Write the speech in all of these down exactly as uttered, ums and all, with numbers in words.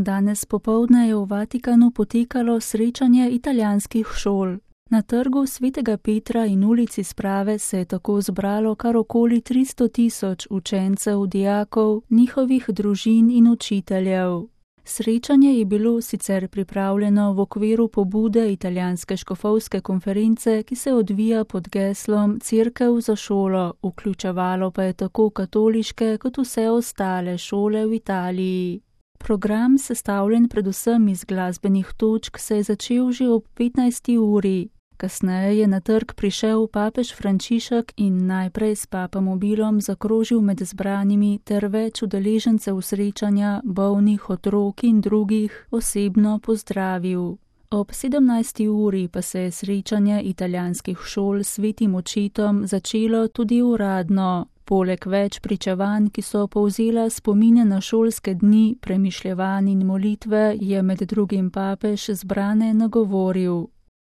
Danes popoldne je v Vatikanu potekalo srečanje italijanskih šol. Na trgu Svetega Petra in ulici Sprave se je tako zbralo kar okoli tristo tisoč učencev, dijakov, njihovih družin in učiteljev. Srečanje je bilo sicer pripravljeno v okviru pobude italijanske škofovske konference, ki se odvija pod geslom Cerkev za šolo, vključevalo pa je tako katoliške kot vse ostale šole v Italiji. Program, sestavljen predvsem iz glasbenih točk, se je začel že ob petnajsti uri. Kasneje je na trg prišel papež Frančišek in najprej s papamobilom zakrožil med zbranimi ter več udeležencev srečanja, bolnih, otrok in drugih osebno pozdravil. Ob sedemnajsti uri pa se je srečanje italijanskih šol s Svetim očetom začelo tudi uradno. Poleg več pričevanj, ki so povzela spomine na šolske dni, premišljevanj in molitve, je med drugim papež zbrane nagovoril.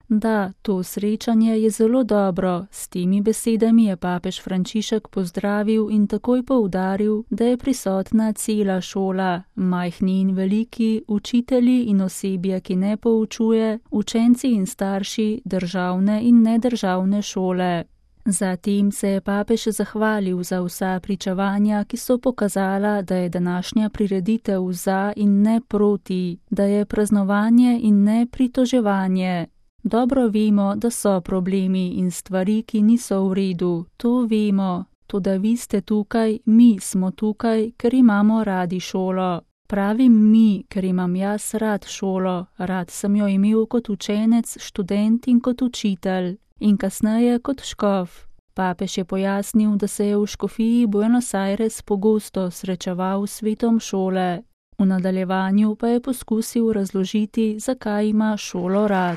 Da, to srečanje je zelo dobro, s temi besedami je papež Frančišek pozdravil in takoj poudaril, da je prisotna cela šola, majhni in veliki, učitelji in osebje, ki ne poučuje, učenci in starši, državne in nedržavne šole. Zatem se je papež zahvalil za vsa pričevanja, ki so pokazala, da je današnja prireditev za in ne proti, da je praznovanje in ne pritoževanje. Dobro vemo, da so problemi in stvari, ki niso v redu, to vemo, toda vi ste tukaj, mi smo tukaj, ker imamo radi šolo. Pravim mi, ker imam jaz rad šolo, rad sem jo imel kot učenec, študent in kot učitelj. In kasneje kot škof. Papež je pojasnil, da se je v škofiji Buenos Aires pogosto srečeval s svetom šole. V nadaljevanju pa je poskusil razložiti, zakaj ima šolo rad.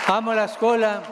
Amo la scuola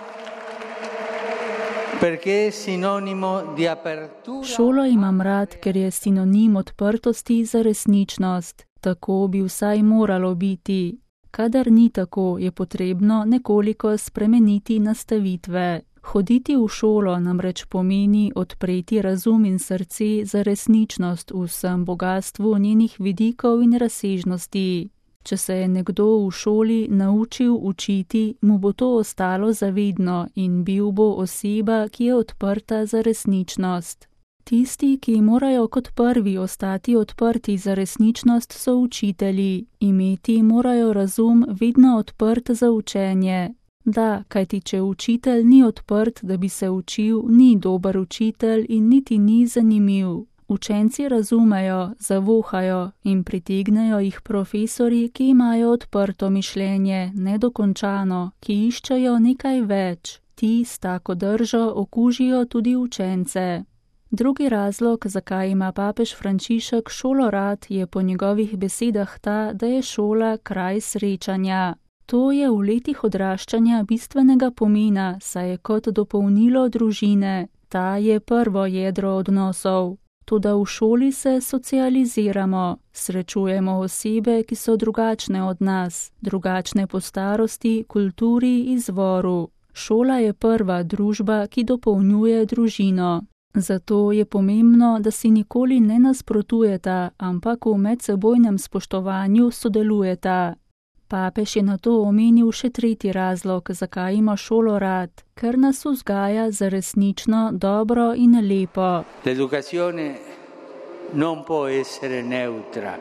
perché è sinonimo di apertura. Šolo imam rad, ker je sinonim odprtosti za resničnost. Tako bi vsaj moralo biti. Kadar ni tako, je potrebno nekoliko spremeniti nastavitve. Hoditi v šolo namreč pomeni odpreti razum in srce za resničnost v vsem bogastvu njenih vidikov in razsežnosti. Če se je nekdo v šoli naučil učiti, mu bo to ostalo zavedno in bil bo oseba, ki je odprta za resničnost. Tisti, ki morajo kot prvi ostati odprti za resničnost, so učitelji. Imeti morajo razum vedno odprt za učenje. Da, kajti če učitelj ni odprt, da bi se učil, ni dober učitelj in niti ni zanimiv. Učenci razumejo, zavohajo in pritegnejo jih profesorji, ki imajo odprto mišljenje, nedokončano, ki iščejo nekaj več. Ti s tako držo okužijo tudi učence. Drugi razlog, zakaj ima papež Frančišek šolo rad, je po njegovih besedah ta, da je šola kraj srečanja. To je v letih odraščanja bistvenega pomena, saj je kot dopolnilo družine. Ta je prvo jedro odnosov. Toda v šoli se socializiramo, srečujemo osebe, ki so drugačne od nas, drugačne po starosti, kulturi, izvoru. Šola je prva družba, ki dopolnjuje družino. Zato je pomembno, da si nikoli ne nasprotujeta, ampak v medsebojnem spoštovanju sodelujeta. Papež je na to omenil še tretji razlog, zakaj ima šolo rad, ker nas vzgaja za resnično, dobro in lepo. L'educazione non può essere neutra.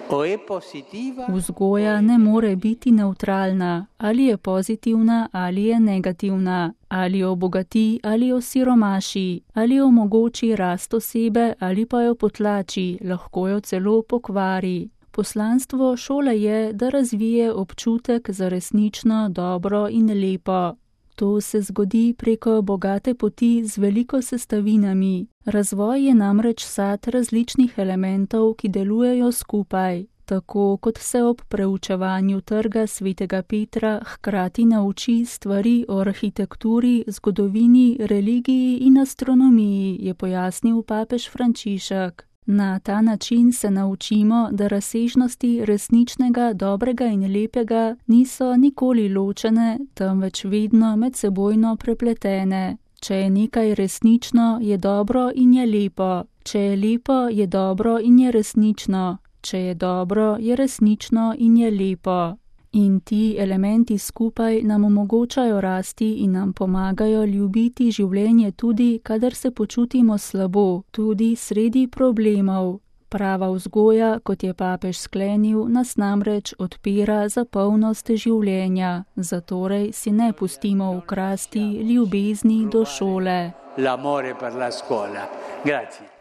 O è positiva. Vzgoja ne more biti neutralna, ali je pozitivna ali je negativna, ali obogati ali osiromaši, ali omogoči rast osebe ali pa jo potlači, lahko jo celo pokvari. Poslanstvo šole je, da razvije občutek za resnično, dobro in lepo. To se zgodi preko bogate poti z veliko sestavinami. Razvoj je namreč sad različnih elementov, ki delujejo skupaj. Tako kot se ob preučevanju trga Svetega Petra hkrati nauči stvari o arhitekturi, zgodovini, religiji in astronomiji, je pojasnil papež Frančišek. Na ta način se naučimo, da razsežnosti resničnega, dobrega in lepega niso nikoli ločene, temveč vedno medsebojno prepletene. Če je nekaj resnično, je dobro in je lepo. Če je lepo, je dobro in je resnično. Če je dobro, je resnično in je lepo. In ti elementi skupaj nam omogočajo rasti in nam pomagajo ljubiti življenje tudi, kadar se počutimo slabo, tudi sredi problemov. Prava vzgoja, kot je papež sklenil, nas namreč odpira za polnost življenja. Zatorej si ne pustimo ukrasti ljubezni do šole. L'amore per la scuola. Grazie.